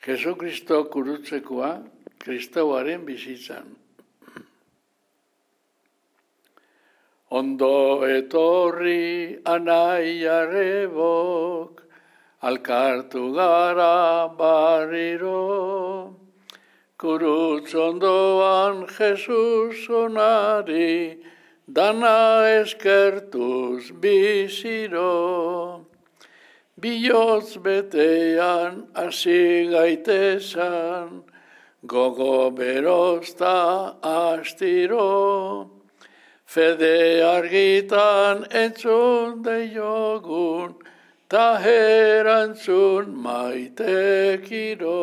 Jesu Kristo kurutzekoa kristauaren bizitzan. Ondo etorri anaiarebok, alkartu gara barriro, kurutz ondoan Jesus onari, dana eskertuz biziro. Bihotz betean hasi gaitesan, gogo berozta astiro, fede argitan entzun deiogun, ta erantzun maitekiro.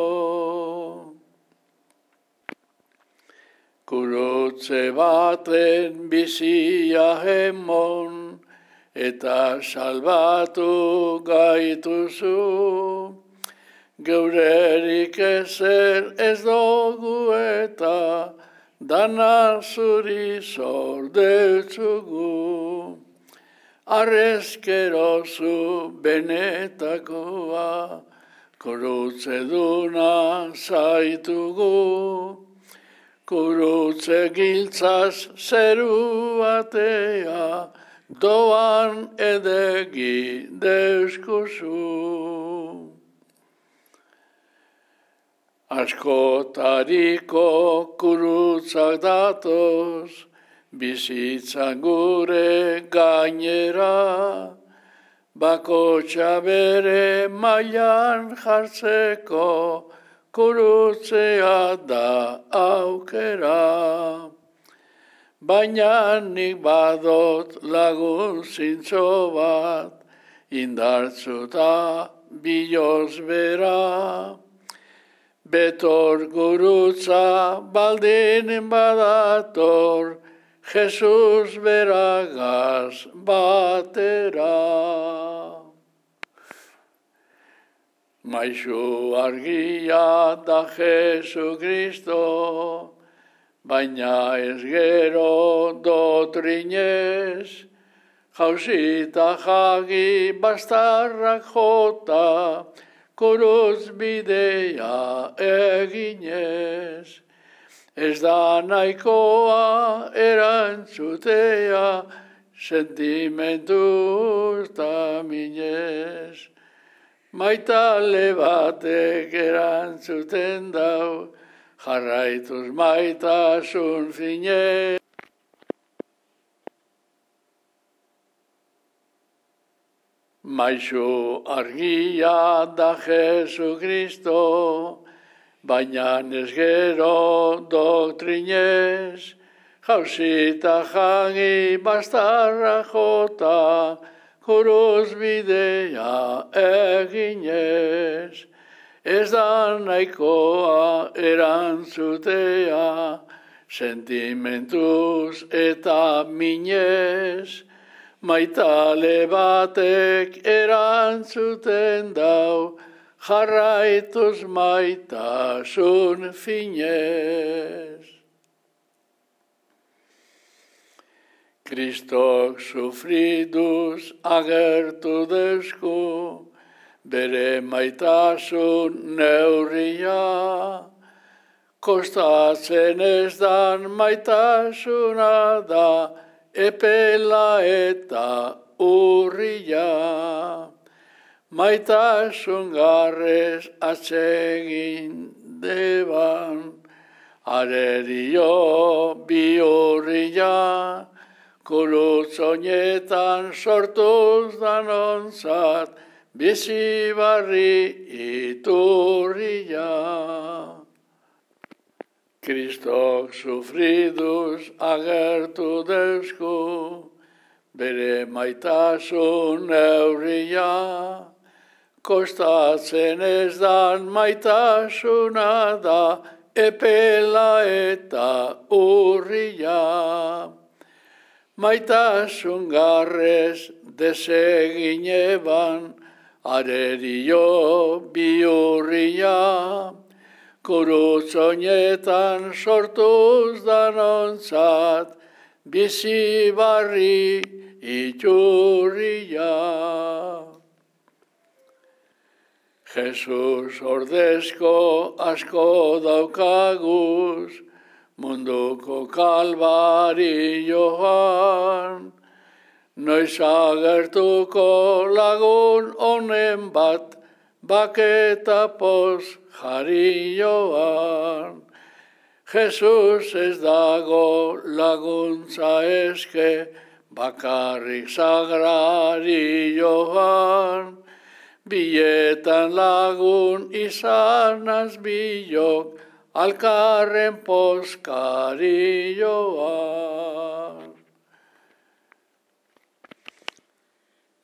Kurutze baten bizia hemon, eta salbatu gaituzu, geurerik ezer ez dugu eta dana zuri zor deutzugu. Arrezkerozu benetakoa, kurutze duna zaitugu, kurutze giltzaz zeru batea, doan edegi deuskuzu. Askotariko kurutzak datoz, bizitzan gure gainera, bakotxa bere mailan jartzeko, kurutzea da aukera. Baina nik badot lagun zintzo bat, indartzuta biloz bera. Betor gurutza baldin badator, Jesus beragaz batera. Maizu argia da Jesu Kristo, baina ez gero dotrinez, jausita jagi bastarrak jota, kurutz bidea eginez. Ez da nahikoa erantzutea, sentimentuz ta minez. Maitale batek erantzuten dau, jarraituz maitasun finez. Maizu argia da Jesu Kristo, baina ez gero doktrinez, jausita jagi bastarra jota, kurutz bidea eginez. Ez da nahikoa erantzutea, sentimentuz eta minez, maitale batek erantzuten dau, jarraituz maitasun finez. Kristok sufriduz agertu deusku, bere maitasun neurria, kostatzen ez dan maitasuna da, epela eta urria. Maitasun garrez atsegin deban, arerio bihurria, kurutz oinetan sortuz danontzat, bizi barri iturria. Kristok sufriduz agertu deusku, bere maitasun neurria, kostatzen ez dan maitasuna da, epela eta urria. Maitasun garrez desegin eban, arerio bihurria, kurutz oinetan sortuz danontzat, bizi barri iturria. Jesus ordezko asko daukaguz, munduko kalbarioan. Noiz agertuko lagun honen bat, baketa poz jarioan. Jesus ez dago laguntza eske, bakarrik sagrarioan. Bietan lagun izanaz bilok, alkarren pozkarioan.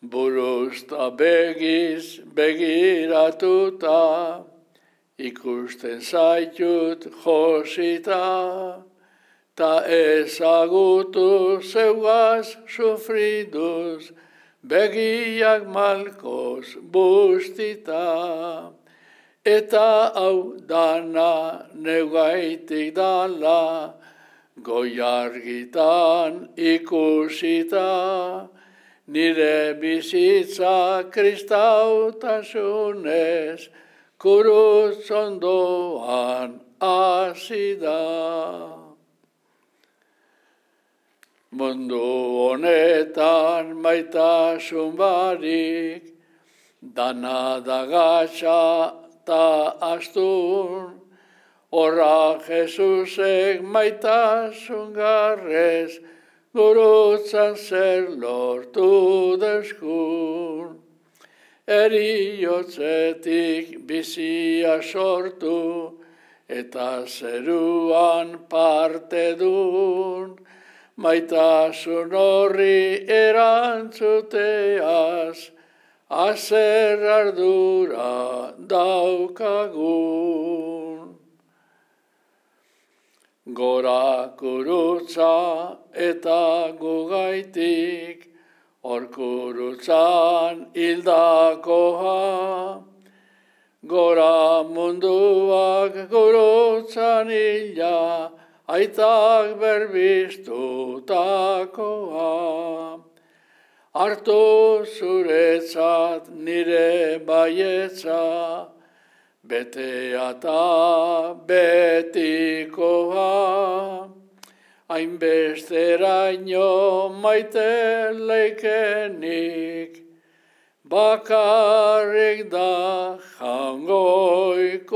Buruz ta begiz begiratuta, ikusten zaitut josita, ta ezagutu zeugaz sufriduz, begiak malkoz bustita. Eta hau dana neugaitik dala, goiargitan ikusita, nire bizitza kristautasunez, kurutz ondoan hasi da. Mundu honetan maitasun barik, dana da gatsa ta astun, horra Jesusek maitasun garrez, gurutzan zer lortu deskun. Eriotzetik bizia sortu, eta zeruan parte dun, maitasun horri erantzuteaz, azer ardura daukagun. Gora kurutza eta gugaitik, hor kurutzan hildakoa. Gora munduak gurutzan hila, aitak berbiztutakoa. Hartu zuretzat nire baietza, betea eta betikoa. Hainbesteraino maite leikenik, bakarrik da jangoikoa.